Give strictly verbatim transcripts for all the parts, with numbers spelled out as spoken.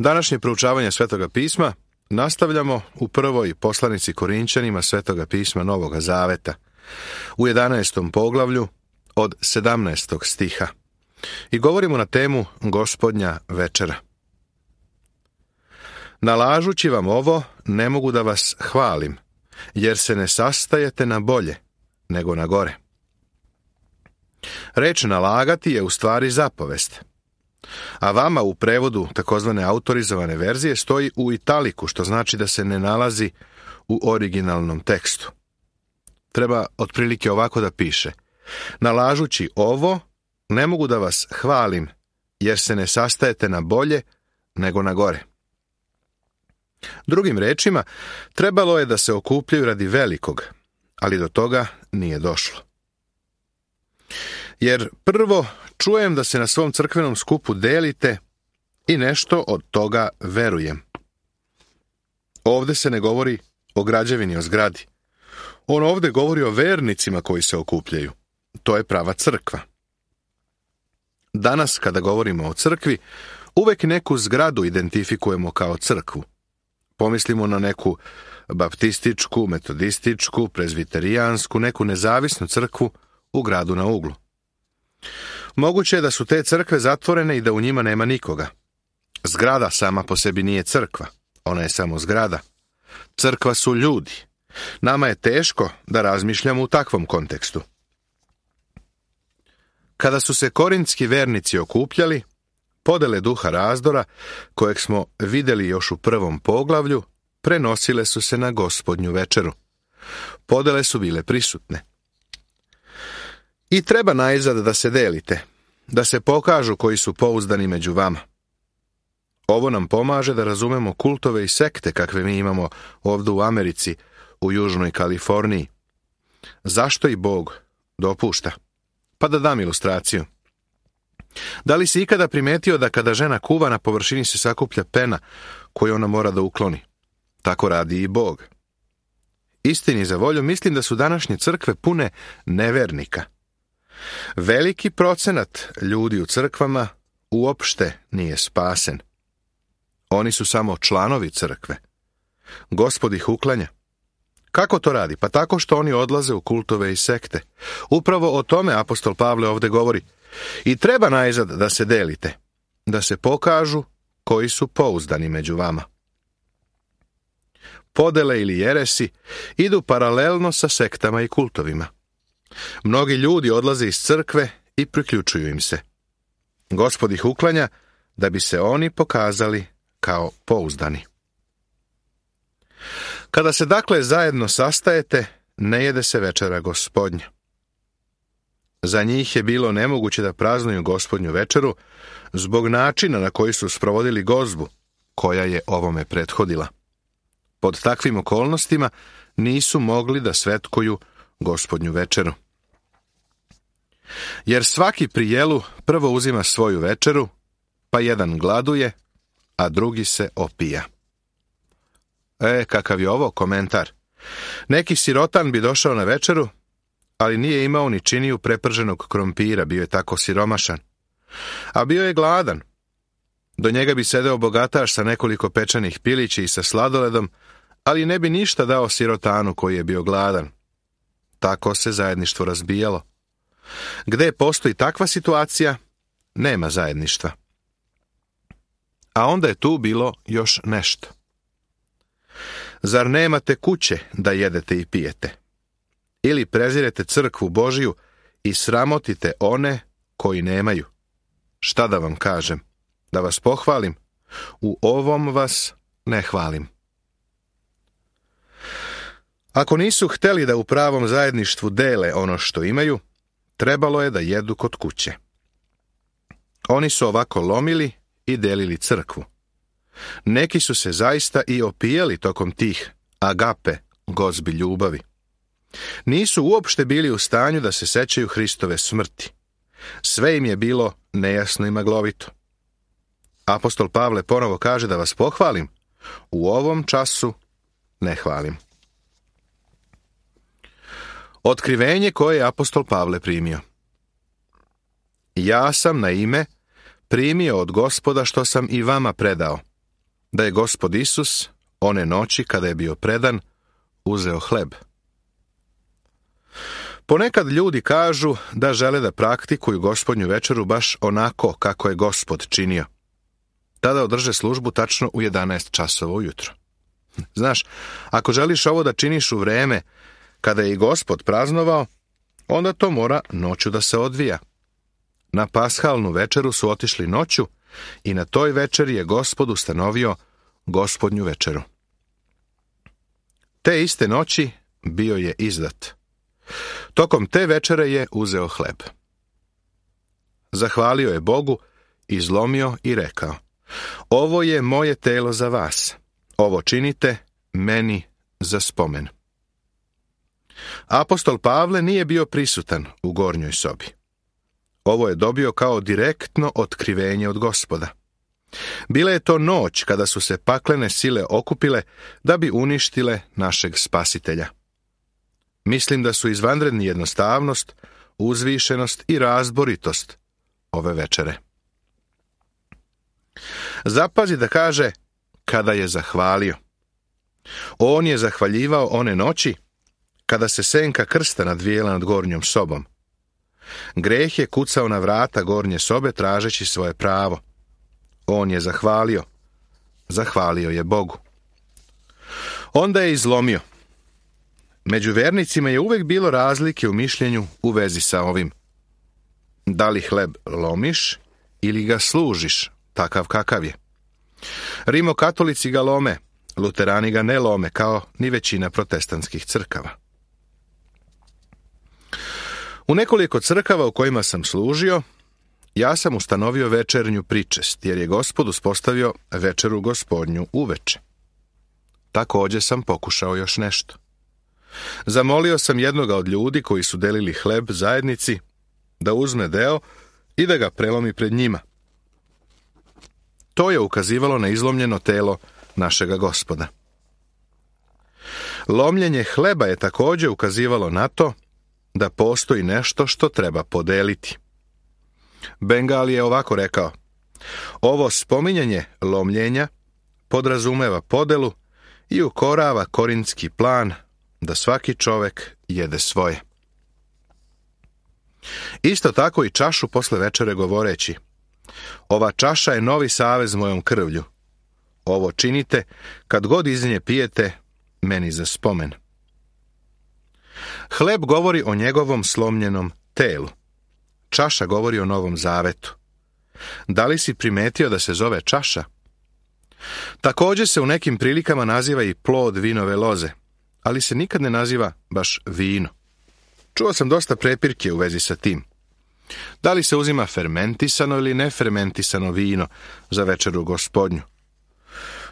Današnje proučavanje Svetoga pisma nastavljamo u prvoj poslanici Korinćanima Svetoga pisma Novoga Zaveta, u jedanaestom poglavlju od sedamnaestog stiha. I govorimo na temu Gospodnja večera. Nalažući vam ovo, ne mogu da vas hvalim, jer se ne sastajete na bolje, nego na gore. Reč nalagati je u stvari zapovest, a vama u prevodu takozvane autorizovane verzije stoji u italiku, što znači da se ne nalazi u originalnom tekstu. Treba otprilike ovako da piše: nalažući ovo, ne mogu da vas hvalim, jer se ne sastajete na bolje, nego na gore. Drugim rečima, trebalo je da se okupljaju radi velikog, ali do toga nije došlo. Jer prvo čujem da se na svom crkvenom skupu delite i nešto od toga verujem. Ovde se ne govori o građevini, o zgradi. On ovde govori o vernicima koji se okupljaju. To je prava crkva. Danas, kada govorimo o crkvi, uvek neku zgradu identifikujemo kao crkvu. Pomislimo na neku baptističku, metodističku, prezbiterijansku, neku nezavisnu crkvu u gradu na uglu. Moguće je da su te crkve zatvorene i da u njima nema nikoga. Zgrada sama po sebi nije crkva, ona je samo zgrada. Crkva su ljudi. Nama je teško da razmišljamo u takvom kontekstu. Kada su se korintski vernici okupljali, podele duha razdora, kojeg smo vidjeli još u prvom poglavlju, prenosile su se na Gospodnju večeru. Podele su bile prisutne. I treba najzad da se delite, da se pokažu koji su pouzdani među vama. Ovo nam pomaže da razumemo kultove i sekte kakve mi imamo ovdje u Americi, u Južnoj Kaliforniji. Zašto i Bog dopušta? Pa da dam ilustraciju. Da li si ikada primetio da kada žena kuva, na površini se sakuplja pena koju ona mora da ukloni? Tako radi i Bog. Istini za volju, mislim da su današnje crkve pune nevernika. Veliki procenat ljudi u crkvama uopšte nije spasen. Oni su samo članovi crkve. Gospod ih uklanja. Kako to radi? Pa tako što oni odlaze u kultove i sekte. Upravo o tome apostol Pavle ovdje govori. I treba najzad da se delite, da se pokažu koji su pouzdani među vama. Podele ili jeresi idu paralelno sa sektama i kultovima. Mnogi ljudi odlaze iz crkve i priključuju im se. Gospod ih uklanja da bi se oni pokazali kao pouzdani. Kada se dakle zajedno sastajete, ne jede se večera Gospodnja. Za njih je bilo nemoguće da praznuju Gospodnju večeru zbog načina na koji su sprovodili gozbu, koja je ovome prethodila. Pod takvim okolnostima nisu mogli da svetkuju Gospodnju večeru. Jer svaki pri jelu prvo uzima svoju večeru, pa jedan gladuje, a drugi se opija. E, kakav je ovo komentar? Neki sirotan bi došao na večeru, ali nije imao ni činiju preprženog krompira, bio je tako siromašan. A bio je gladan. Do njega bi sedeo bogataš sa nekoliko pečenih pilići i sa sladoledom, ali ne bi ništa dao sirotanu koji je bio gladan. Tako se zajedništvo razbijalo. Gde postoji takva situacija, nema zajedništva. A onda je tu bilo još nešto. Zar nemate kuće da jedete i pijete? Ili prezirete crkvu Božiju i sramotite one koji nemaju? Šta da vam kažem? Da vas pohvalim? U ovom vas ne hvalim. Ako nisu hteli da u pravom zajedništvu dele ono što imaju, trebalo je da jedu kod kuće. Oni su ovako lomili i delili crkvu. Neki su se zaista i opijeli tokom tih agape, gozbi ljubavi. Nisu uopšte bili u stanju da se sećaju Hristove smrti. Sve im je bilo nejasno i maglovito. Apostol Pavle ponovo kaže da vas pohvalim. U ovom času ne hvalim. Otkrivenje koje je apostol Pavle primio. Ja sam na ime primio od Gospoda što sam i vama predao, da je Gospod Isus, one noći kada je bio predan, uzeo hleb. Ponekad ljudi kažu da žele da praktikuju Gospodnju večeru baš onako kako je Gospod činio. Tada održe službu tačno u jedanaest časova ujutro. Znaš, ako želiš ovo da činiš u vreme kada je i Gospod praznovao, onda to mora noću da se odvija. Na pashalnu večeru su otišli noću i na toj večeri je Gospod ustanovio Gospodnju večeru. Te iste noći bio je izdat. Tokom te večere je uzeo hleb. Zahvalio je Bogu, izlomio i rekao: ovo je moje telo za vas. Ovo činite meni za spomen. Apostol Pavle nije bio prisutan u gornjoj sobi. Ovo je dobio kao direktno otkrivenje od Gospoda. Bila je to noć kada su se paklene sile okupile da bi uništile našeg spasitelja. Mislim da su izvanredni jednostavnost, uzvišenost i razboritost ove večere. Zapazi da kaže kada je zahvalio. On je zahvaljivao one noći kada se senka krsta nadvijela nad gornjom sobom. Greh je kucao na vrata gornje sobe tražeći svoje pravo. On je zahvalio. Zahvalio je Bogu. Onda je izlomio. Među vernicima je uvek bilo razlike u mišljenju u vezi sa ovim. Da li hleb lomiš ili ga služiš, takav kakav je. Rimokatolici ga lome, luterani ga ne lome, kao ni većina protestantskih crkava. U nekoliko crkava u kojima sam služio, ja sam ustanovio večernju pričest, jer je Gospod uspostavio večeru Gospodnju uveče. Također sam pokušao još nešto. Zamolio sam jednoga od ljudi koji su delili hleb zajednici da uzme deo i da ga prelomi pred njima. To je ukazivalo na izlomljeno telo našega Gospoda. Lomljenje hleba je također ukazivalo na to da postoji nešto što treba podeliti. Bengal je ovako rekao: ovo spominjanje lomljenja podrazumeva podelu i ukorava korintski plan da svaki čovek jede svoje. Isto tako i čašu posle večere govoreći: ova čaša je novi savez mojom krvlju. Ovo činite kad god iz nje pijete meni za spomen. Hleb govori o njegovom slomljenom telu. Čaša govori o Novom Zavetu. Da li si primetio da se zove čaša? Također se u nekim prilikama naziva i plod vinove loze, ali se nikad ne naziva baš vino. Čuo sam dosta prepirke u vezi sa tim. Da li se uzima fermentisano ili nefermentisano vino za večeru Gospodnju?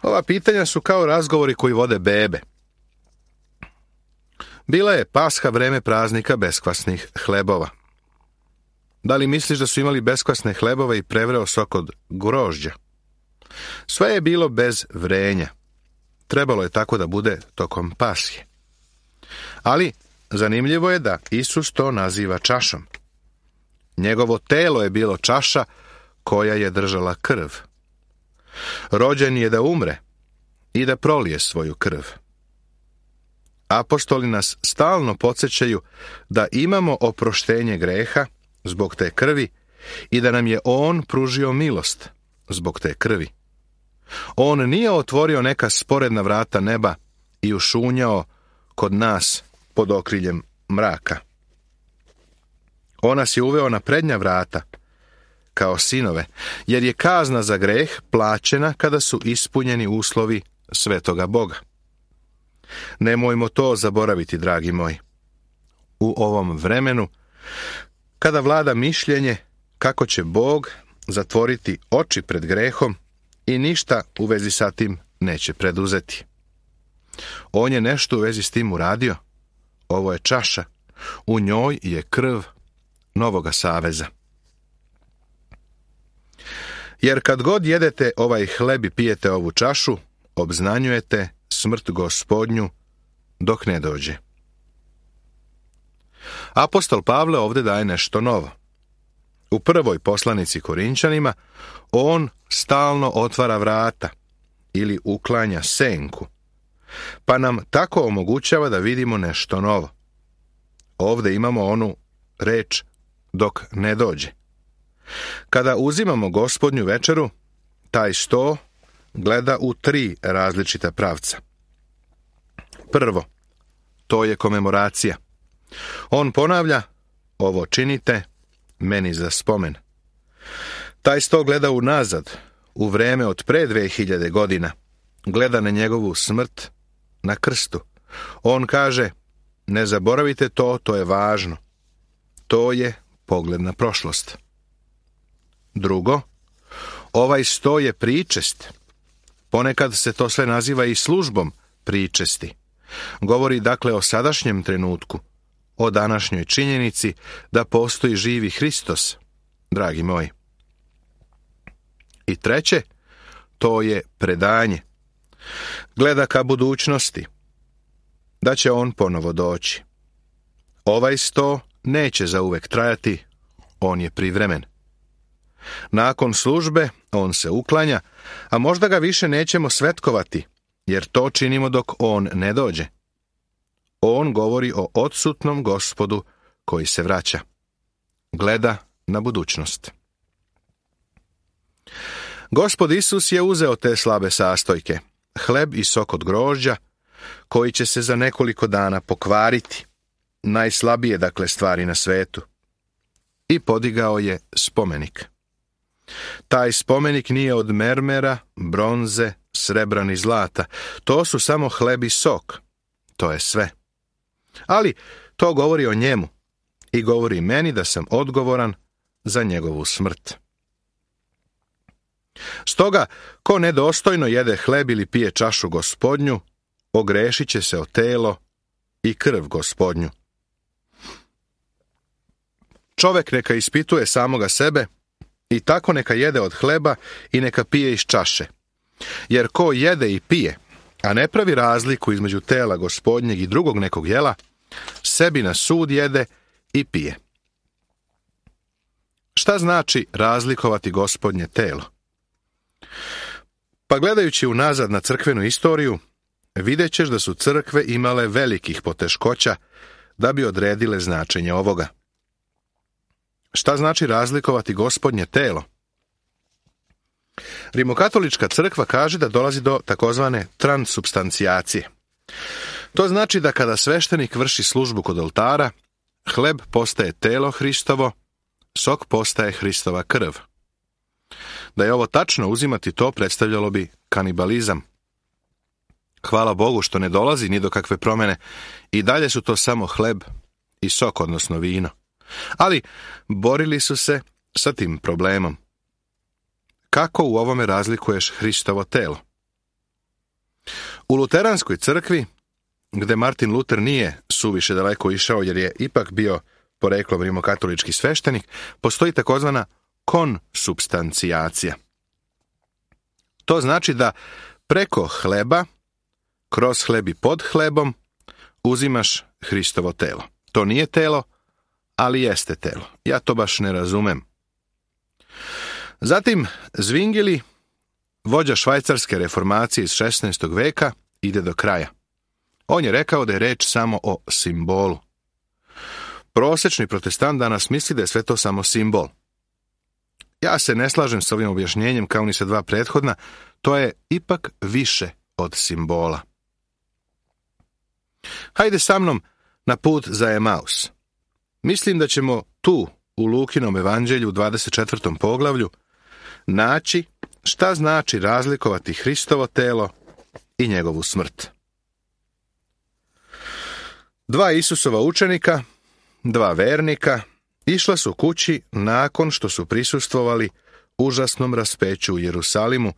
Ova pitanja su kao razgovori koji vode bebe. Bila je Pasha, vreme praznika beskvasnih hlebova. Da li misliš da su imali beskvasne hlebove i prevreo sok od grožđa? Sve je bilo bez vrenja. Trebalo je tako da bude tokom Pashe. Ali zanimljivo je da Isus to naziva čašom. Njegovo telo je bilo čaša koja je držala krv. Rođen je da umre i da prolije svoju krv. Apostoli nas stalno podsjećaju da imamo oproštenje greha zbog te krvi i da nam je On pružio milost zbog te krvi. On nije otvorio neka sporedna vrata neba i ušunjao kod nas pod okriljem mraka. On nas je uveo na prednja vrata, kao sinove, jer je kazna za greh plaćena kada su ispunjeni uslovi svetoga Boga. Nemojmo to zaboraviti, dragi moji. U ovom vremenu, kada vlada mišljenje kako će Bog zatvoriti oči pred grehom i ništa u vezi sa tim neće preduzeti. On je nešto u vezi s tim uradio. Ovo je čaša. U njoj je krv Novoga saveza. Jer kad god jedete ovaj hleb i pijete ovu čašu, obznanjujete smrt Gospodnju dok ne dođe. Apostol Pavle ovdje daje nešto novo. U prvoj poslanici Korinčanima on stalno otvara vrata ili uklanja senku, pa nam tako omogućava da vidimo nešto novo. Ovdje imamo onu reč dok ne dođe. Kada uzimamo Gospodnju večeru, taj sto gleda u tri različita pravca. Prvo, to je komemoracija. On ponavlja, ovo činite meni za spomen. Taj sto gleda unazad, u vreme od pre dve hiljade godina. Gleda na njegovu smrt na krstu. On kaže, ne zaboravite to, to je važno. To je pogled na prošlost. Drugo, ovaj sto je pričest. Ponekad se to sve naziva i službom pričesti. Govori dakle o sadašnjem trenutku, o današnjoj činjenici da postoji živi Hristos, dragi moji. I treće, to je predanje. Gleda ka budućnosti, da će on ponovo doći. Ovaj sto neće zauvek trajati, on je privremen. Nakon službe on se uklanja, a možda ga više nećemo svetkovati, jer to činimo dok on ne dođe. On govori o odsutnom Gospodu koji se vraća. Gleda na budućnost. Gospod Isus je uzeo te slabe sastojke, hleb i sok od grožđa, koji će se za nekoliko dana pokvariti, najslabije dakle stvari na svetu, i podigao je spomenik. Taj spomenik nije od mermera, bronze, srebra ni zlata. To su samo hleb i sok. To je sve. Ali to govori o njemu i govori meni da sam odgovoran za njegovu smrt. Stoga, ko nedostojno jede hleb ili pije čašu Gospodnju, ogrešit će se o telo i krv Gospodnju. Čovek neka ispituje samoga sebe i tako neka jede od hleba i neka pije iz čaše. Jer ko jede i pije, a ne pravi razliku između tela Gospodnjeg i drugog nekog jela, sebi na sud jede i pije. Šta znači razlikovati Gospodnje telo? Pa gledajući unazad na crkvenu istoriju, vidjet ćeš da su crkve imale velikih poteškoća da bi odredile značenje ovoga. Šta znači razlikovati Gospodnje telo? Rimokatolička crkva kaže da dolazi do takozvane transubstancijacije. To znači da kada sveštenik vrši službu kod oltara, hleb postaje telo Hristovo, sok postaje Hristova krv. Da je ovo tačno uzimati, to predstavljalo bi kanibalizam. Hvala Bogu što ne dolazi ni do kakve promjene, i dalje su to samo hleb i sok, odnosno vino. Ali borili su se sa tim problemom. Kako u ovome razlikuješ Hristovo telo? U luteranskoj crkvi, gde Martin Luter nije suviše daleko išao jer je ipak bio poreklom rimokatolički sveštenik, postoji takozvana konsubstancijacija. To znači da preko hleba, kroz hleb i pod hlebom, uzimaš Hristovo telo. To nije telo, ali jeste telo. Ja to baš ne razumem. Zatim Zwingli, vođa švajcarske reformacije iz šesnaestog veka, ide do kraja. On je rekao da je reč samo o simbolu. Prosječni protestant danas misli da je sve to samo simbol. Ja se ne slažem s ovim objašnjenjem kao ni sa dva prethodna, to je ipak više od simbola. Hajde sa mnom na put za Emaus. Mislim da ćemo tu, u Lukinom evanđelju u dvadeset četvrtom poglavlju, naći šta znači razlikovati Hristovo telo i njegovu smrt. Dva Isusova učenika, dva vernika, išla su kući nakon što su prisustvovali užasnom raspeću u Jerusalimu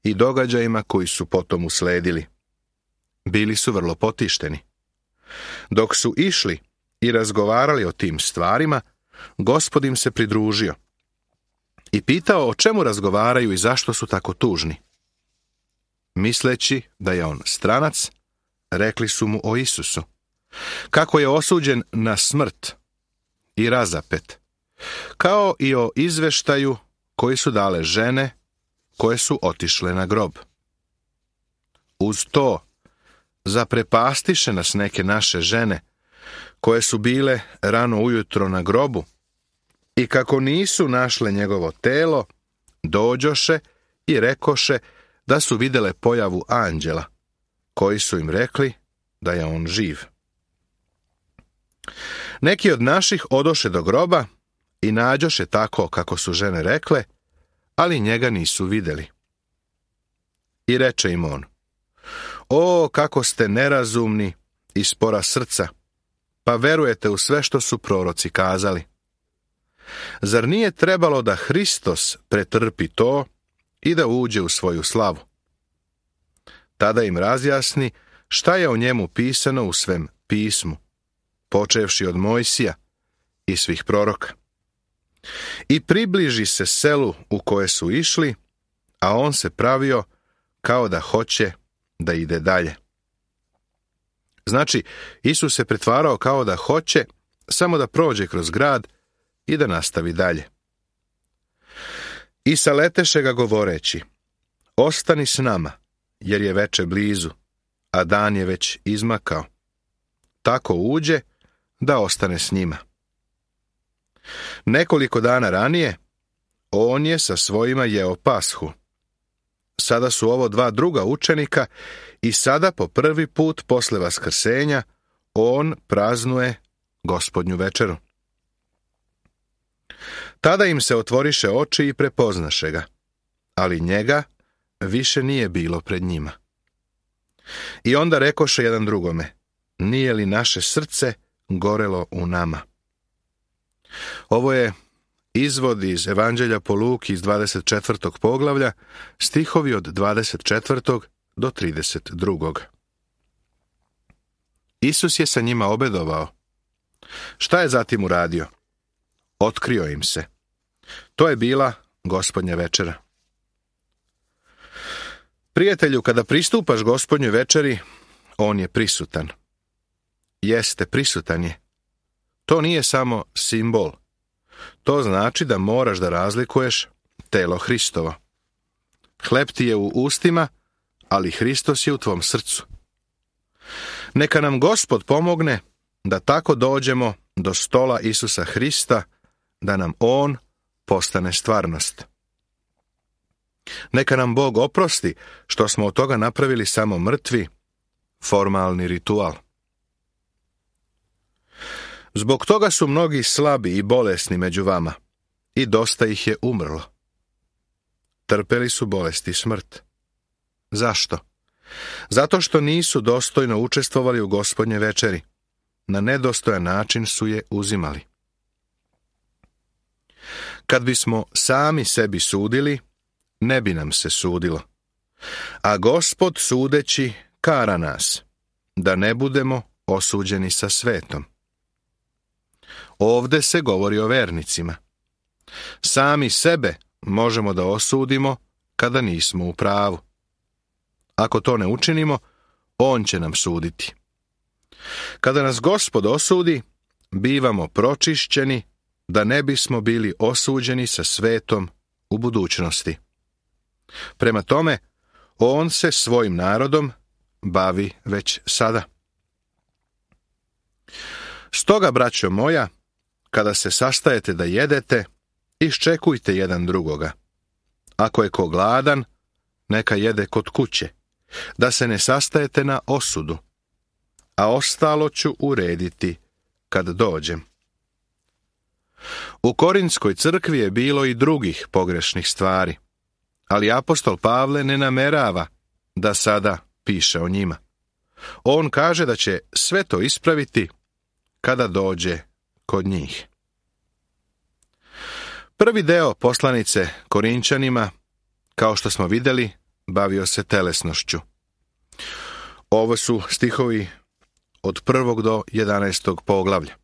i događajima koji su potom usledili. Bili su vrlo potišteni. Dok su išli i razgovarali o tim stvarima, Gospod im se pridružio i pitao o čemu razgovaraju i zašto su tako tužni. Misleći da je on stranac, rekli su mu o Isusu, kako je osuđen na smrt i razapet, kao i o izveštaju koji su dale žene koje su otišle na grob. uz to, zaprepastiše nas neke naše žene, koje su bile rano ujutro na grobu, i kako nisu našle njegovo telo, dođoše i rekoše da su vidjele pojavu anđela, koji su im rekli da je on živ. Neki od naših odoše do groba i nađoše tako kako su žene rekle, ali njega nisu vidjeli. I reče im on: O, kako ste nerazumni i spora srca, pa verujete u sve što su proroci kazali. Zar nije trebalo da Hristos pretrpi to i da uđe u svoju slavu? Tada im razjasni šta je o njemu pisano u svem pismu, počevši od Mojsija i svih proroka. I približi se selu u koje su išli, a on se pravio kao da hoće da ide dalje. Znači, Isus se pretvarao kao da hoće samo da prođe kroz grad i da nastavi dalje. I saleteše ga govoreći: Ostani s nama, jer je veče blizu, a dan je već izmakao. Tako uđe da ostane s njima. Nekoliko dana ranije, on je sa svojima jeo pashu. Sada su ovo dva druga učenika i sada po prvi put posle vaskrsenja on praznuje Gospodnju večeru. Tada im se otvoriše oči i prepoznaše ga, ali njega više nije bilo pred njima. I onda rekoše jedan drugome: Nije li naše srce gorelo u nama? Ovo je izvod iz Evanđelja po Luki iz dvadeset četvrtog poglavlja, stihovi od dvadeset četvrtog do trideset drugog. Isus je sa njima obedovao. Šta je zatim uradio? Otkrio im se. To je bila Gospodnja večera. Prijatelju, kada pristupaš Gospodnjoj večeri, on je prisutan. Jeste, prisutan je. To nije samo simbol. To znači da moraš da razlikuješ telo Hristovo. Hleb ti je u ustima, ali Hristos je u tvom srcu. Neka nam Gospod pomogne da tako dođemo do stola Isusa Hrista, da nam on postane stvarnost. Neka nam Bog oprosti što smo od toga napravili samo mrtvi, formalni ritual. Zbog toga su mnogi slabi i bolesni među vama, i dosta ih je umrlo. Trpeli su bolest i smrt. Zašto? Zato što nisu dostojno učestvovali u Gospodnje večeri. Na nedostojan način su je uzimali. Kad bismo sami sebi sudili, ne bi nam se sudilo. A Gospod sudeći kara nas, da ne budemo osuđeni sa svetom. Ovde se govori o vernicima. Sami sebe možemo da osudimo kada nismo u pravu. Ako to ne učinimo, on će nam suditi. Kada nas Gospod osudi, bivamo pročišćeni da ne bismo bili osuđeni sa svetom u budućnosti. Prema tome, on se svojim narodom bavi već sada. Stoga, braćo moja, kada se sastajete da jedete, iščekujte jedan drugoga. Ako je ko gladan, neka jede kod kuće, da se ne sastajete na osudu, a ostalo ću urediti kad dođem. U Korintskoj crkvi je bilo i drugih pogrešnih stvari, ali apostol Pavle ne namerava da sada piše o njima. On kaže da će sve to ispraviti kada dođe kod njih. Prvi deo poslanice Korinčanima, kao što smo vidjeli, bavio se telesnošću. Ovo su stihovi od prvog do jedanaestog poglavlja.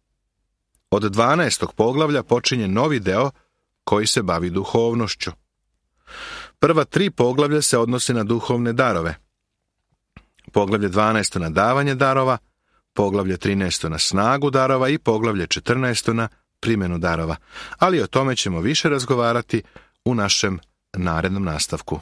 Od dvanaestog poglavlja počinje novi deo koji se bavi duhovnošću. Prva tri poglavlja se odnose na duhovne darove. Poglavlje dvanaesto na davanje darova, poglavlje trinaesto na snagu darova i poglavlje četrnaesto na primjenu darova. Ali o tome ćemo više razgovarati u našem narednom nastavku.